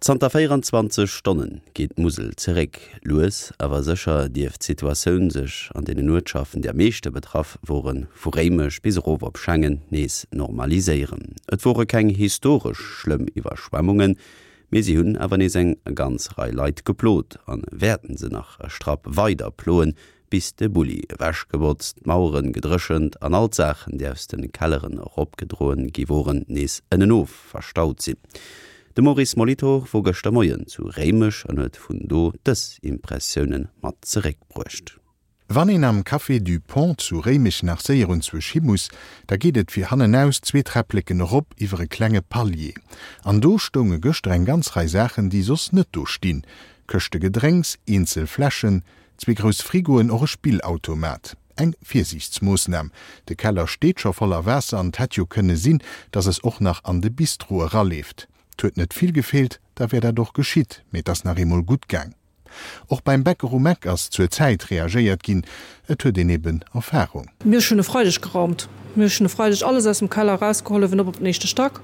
Zanter 24 Stonne geet d'Musel zeréck. Lues awer sécher dierft d'Situatioun sech an deenen Uertschaften, déi am meeschte betraff woren, vu Réimech bis erof op Schengen, nees normaliséieren. Et wore keng historesch schlëmm Iwwerschwemmungen, mee si hunn awer nees eng ganz Rei Leit geplot an wäerten se nach e Strapp weider ploen, bis de Bulli ewechgebotzt, d'Maueren gedréchent an all d'Saachen, déi aus de Kelleren eropgedroen gi woren, nees ënnenof verstaut sinn. De Maurice Molitor wor gëschter Moien zu Réimech an huet vun do dës Impressiounen mat zeréckbruecht. Wann een am Café du Pont zu Réimech nach séier un zwousch hi muss, da geet et fir hannenaus zwee Träppleken erop iwwer e klenge Palier. An do stounge gëschter eng ganz Rei Saachen, déi soss net do stinn, Këschte Gedrénks, eenzel Fläschen, Zwee grouss Frigoen, och e Spillautomat. Eng Virsiichtsmoossnam. De Keller steet scho voller Waasser an et hätt jo kënne sinn, dass es och nach an de Bistro eraleeft. 't huet net vill gefeelt, da wär dat och geschitt, mee 't ass nach eemol gutt gaang. Och beim Bäcker um Eck ass zur Zäit reagéiert ginn. Et huet een eben Erfarung. Mir hunn e Freideg geraumt. Mir hunn e Freideg alles aus dem Keller erausgeholl, uewen op op den éischte Stack.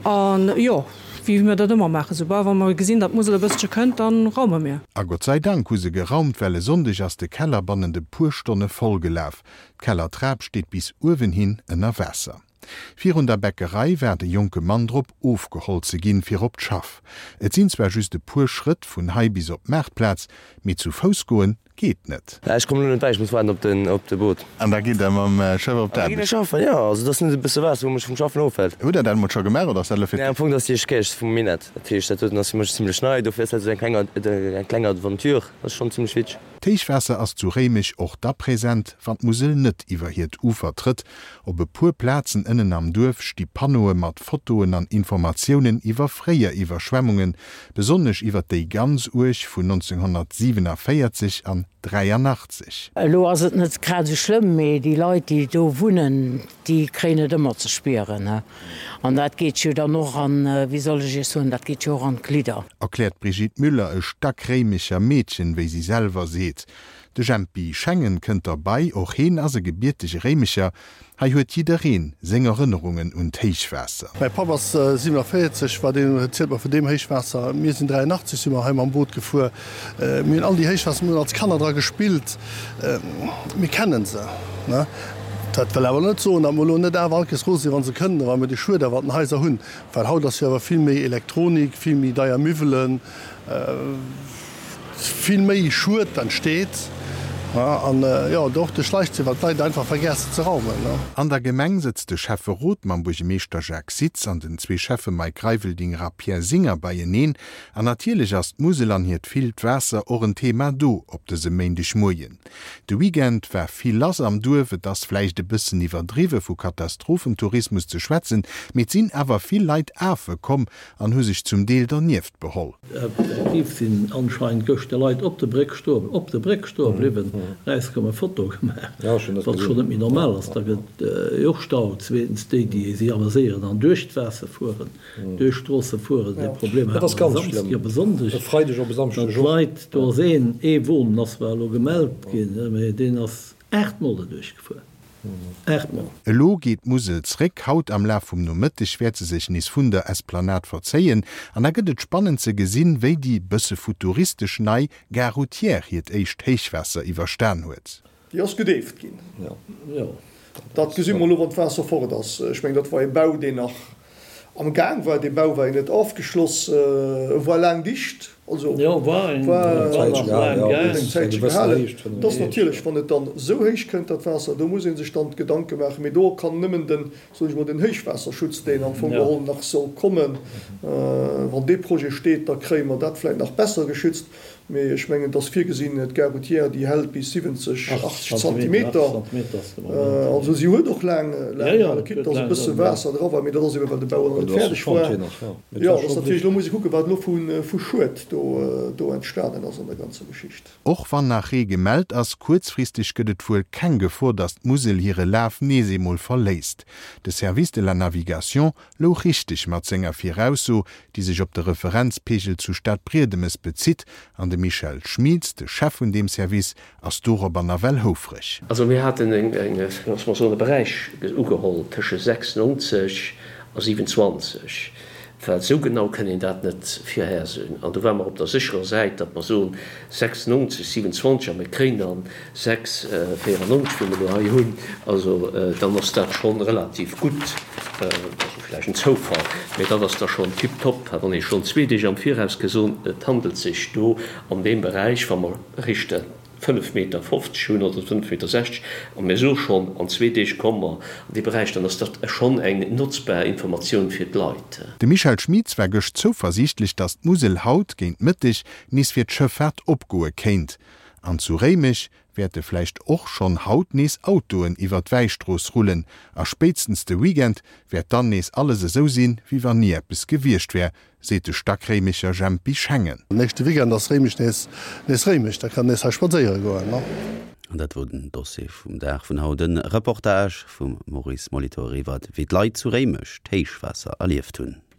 An jo, wéi mir dat ëmmer maachen, soubal wa mer gesinn, datt d'Musel e bëssche kënnt, da raume mir. A Gott sei Dank hu se geraumt, well e Sonndeg ass de Keller bannent e puer Stonne voll gelaf. D'Kellertrap steet bis uewenhin ënner Waasser. Virun der Bäckerei waart e jonke Mann drop, ofgeholl ze ginn, fir op d'Schaff. Et sinn zwar just e puer Schrëtt vun hei bis op d'Maartplaz, mee zu Fouss goen geet net. Ech kommen elo net bäi, ech muss waarden op den op de Boot. An da gitt der mam Schëff op d'Aarbecht? Da ginn ech schaffen, jo. Also et ass net e bësse Waasser, wou mech vum Schaffen ofhält. Hutt der dat emol scho gemaach oder ass dat elo fir Nee, am Fong ass déi éischt Kéier vum Minett. Dat heescht, dat doten ass fir mech zimlech nei, dofir ass dat esou eng kleng eng kleng Aventure. Dat ass schonn zimlech witzeg. D'Héichwaasser ass zu Réimech och da present, wann d'Musel net iwwer hiert Ufer trëtt. Op e puer Plazen ënnen am Duerf sti Panneaue mat Fotoen an Informatiounen iwwer fréier Iwwerschwemmungen, besonnesch iwwer déi ganz uerg vun 1947 an 83. Elo ass et net grad esou schlëmm, mee déi Leit, déi do wunnen, déi kréien et ëmmer ze spieren. An dat geet jo dann och an, wéi soll ech Iech soen, dat geet jo och an d'Glidder. Erkläert d'Brigitte Müller, e Stackréimecher Meedchen, wéi si selwer seet. De Jempy Schengen kënnt derbei, och heen ass e gebiertege Réimecher. Hei huet jiddereen seng Erënnerungen un d'Héichwaasser. Mäi Papp ass 47, war deen, zielt mer vun deem Héichwaasser. Mir sinn 83, si mer hei mam Boot gefuer. Mir hunn all déi Héichwaasser, mir hunn als Kanner dra gespillt, mir kennen se. Dat wëll awer net soen, datt mer elo net awer all Kees rose sinn, wa se kënnen, a wa mir de Schued awer an den Haiser hunn. Well haut ass jo awer vill méi Elektronik, vill méi deier Miwwelen. Vill méi Schued entsteet an jo och de Schleichzee, well d'Leit einfach vergessen ze raumen. An der Gemeng sëtzt de Schäfferot mam Buergemeeschter Jacques Sitz an den zwee Schäffe Mike Reiveldinger a Pierre Singer beieneen. An natierlech ass d'Musel an hiert villt Waasser och en Thema do op dësem Méindegmoien. De Weekend war vill lass am Duerf. Et ass vläicht e bëssen iwwerdriwwe vu Katastrophentourismus ze schwätzen, mee et sinn awer vill Leit afe komm an hu sech zum Deel dernieft beholl. Effektiv sinn anscheinend gëschter Leit op de Bréck stoe op de Bréck stoe bliwwen, erauskomm e Foto gemaach, wat schonn net méi normal ass. Da gëtt jo och Stau. Zweetens déi, déi si ameséieren an duerch d'Waasser fueren, duerch d'Stroosse fueren. Dee Problem hate mer e Samsdeg op e Sonndeg, datt d'Leit, do ass een, ee Won ass zwar elo gemellt ginn, mee deen ass 8 Mol derduerch gefuer. 8 Mol. Elo geet d'Musel zréck. Haut am Laf vum Nomëtteg wäert se sech nees vun der Esplanade verzéien an da gëtt et spannend ze gesinn, wéi déi bësse futuristesch nei Gare routière hiert éischt Héichwaasser iwwerstan huet. Déi ass gedeeft ginn. Dat gesi mer elo, wann d'Waasser fort ass. Ech mengen, dat war e Bau, deen nach Am Gaang war. Dee Bau war jo net ofgeschloss, e war laang dicht, also war eng Zäitche gehalen. Et ass natierlech, wann et dann esou héich kënnt, dat Waasser, do muss ee sech dann d'Gedanke maachen. Mee do kann nëmmen den, soen ech mol, den Héichwaasserschutz, deen am Fong geholl nach soll kommen, wann dee Projet steet, da kréie mer dat vläicht nach besser geschützt. Mee ech mengen, et ass virgesinn, d'Gare routière, déi hält bis 70, 80 Zentimeter. Also si huet och laang gehalen, quitte dass e bësse Waasser dra war, mee dat ass eben, well de Bau nach net fäerdeg war. Jo, et ass natierlech, elo muss ee kucken, wat elo vu Schued do entstanen ass an der ganzer Geschicht. Och wann nach Ree gemellt ass, kuerzfristeg gëtt et wuel keng Gefor, dass d'Musel hire Laf nees eemol verléisst. De Service de la Navigation louch richteg mat senger Virausso, déi sech op de Referenzpeegel zu Stadbriedemes bezitt, an de Michel Schmieds, de Chef vun deem Service, ass dorobber nawell houfreg. Also mir haten eng, loosse mer soen, e Beräich ugeholl tësche 96 a 27. Well esou genau kënn een dat net virhersoen. An do ware mer op der sécherer Säit, datt mer soen 96, 27 a mir kréien dann 6, 94, wéi mer elo hei hunn. Also dann ass dat scho relativ gutt. Also vläicht en Zoufall, mä dat ass da schonn tiptop, wann ee schonn zwee Deeg am Viraus ke soen, et handelt sech do an deem Beräich, wa mer richte 5 Meter 50 hunn oder 5 Meter 60 a mir soe schonn, an zwee Deeg komme mer an dee Beräich, dann ass dat schonn eng notzbar Informatioun fir d'Leit. De Michel Schmitz war gëscht zouversiichtlech, datt d'Musel haut géint Mëtteg nees fir d'Schëffaart opgoe kéint. An zu Réimech wäerte vläicht och schonn haut nees Autoen iwwer d'Wäistrooss rullen a spéitstens de Weekend wäert dann nees alles esou sinn, wéi wann ni eppes gewiescht wär, seet de Stackréimecher Jempy Schengen. Nächste Weekend ass Réimech nees nees Réimech, da kann nees hei spadséiere goen. An dat wor den Dossier vum Dag vun haut, e Reportage vum Maurice Molitor iwwert wéi d'Leit zu Réimech d'Héichwaasser erlieft hunn.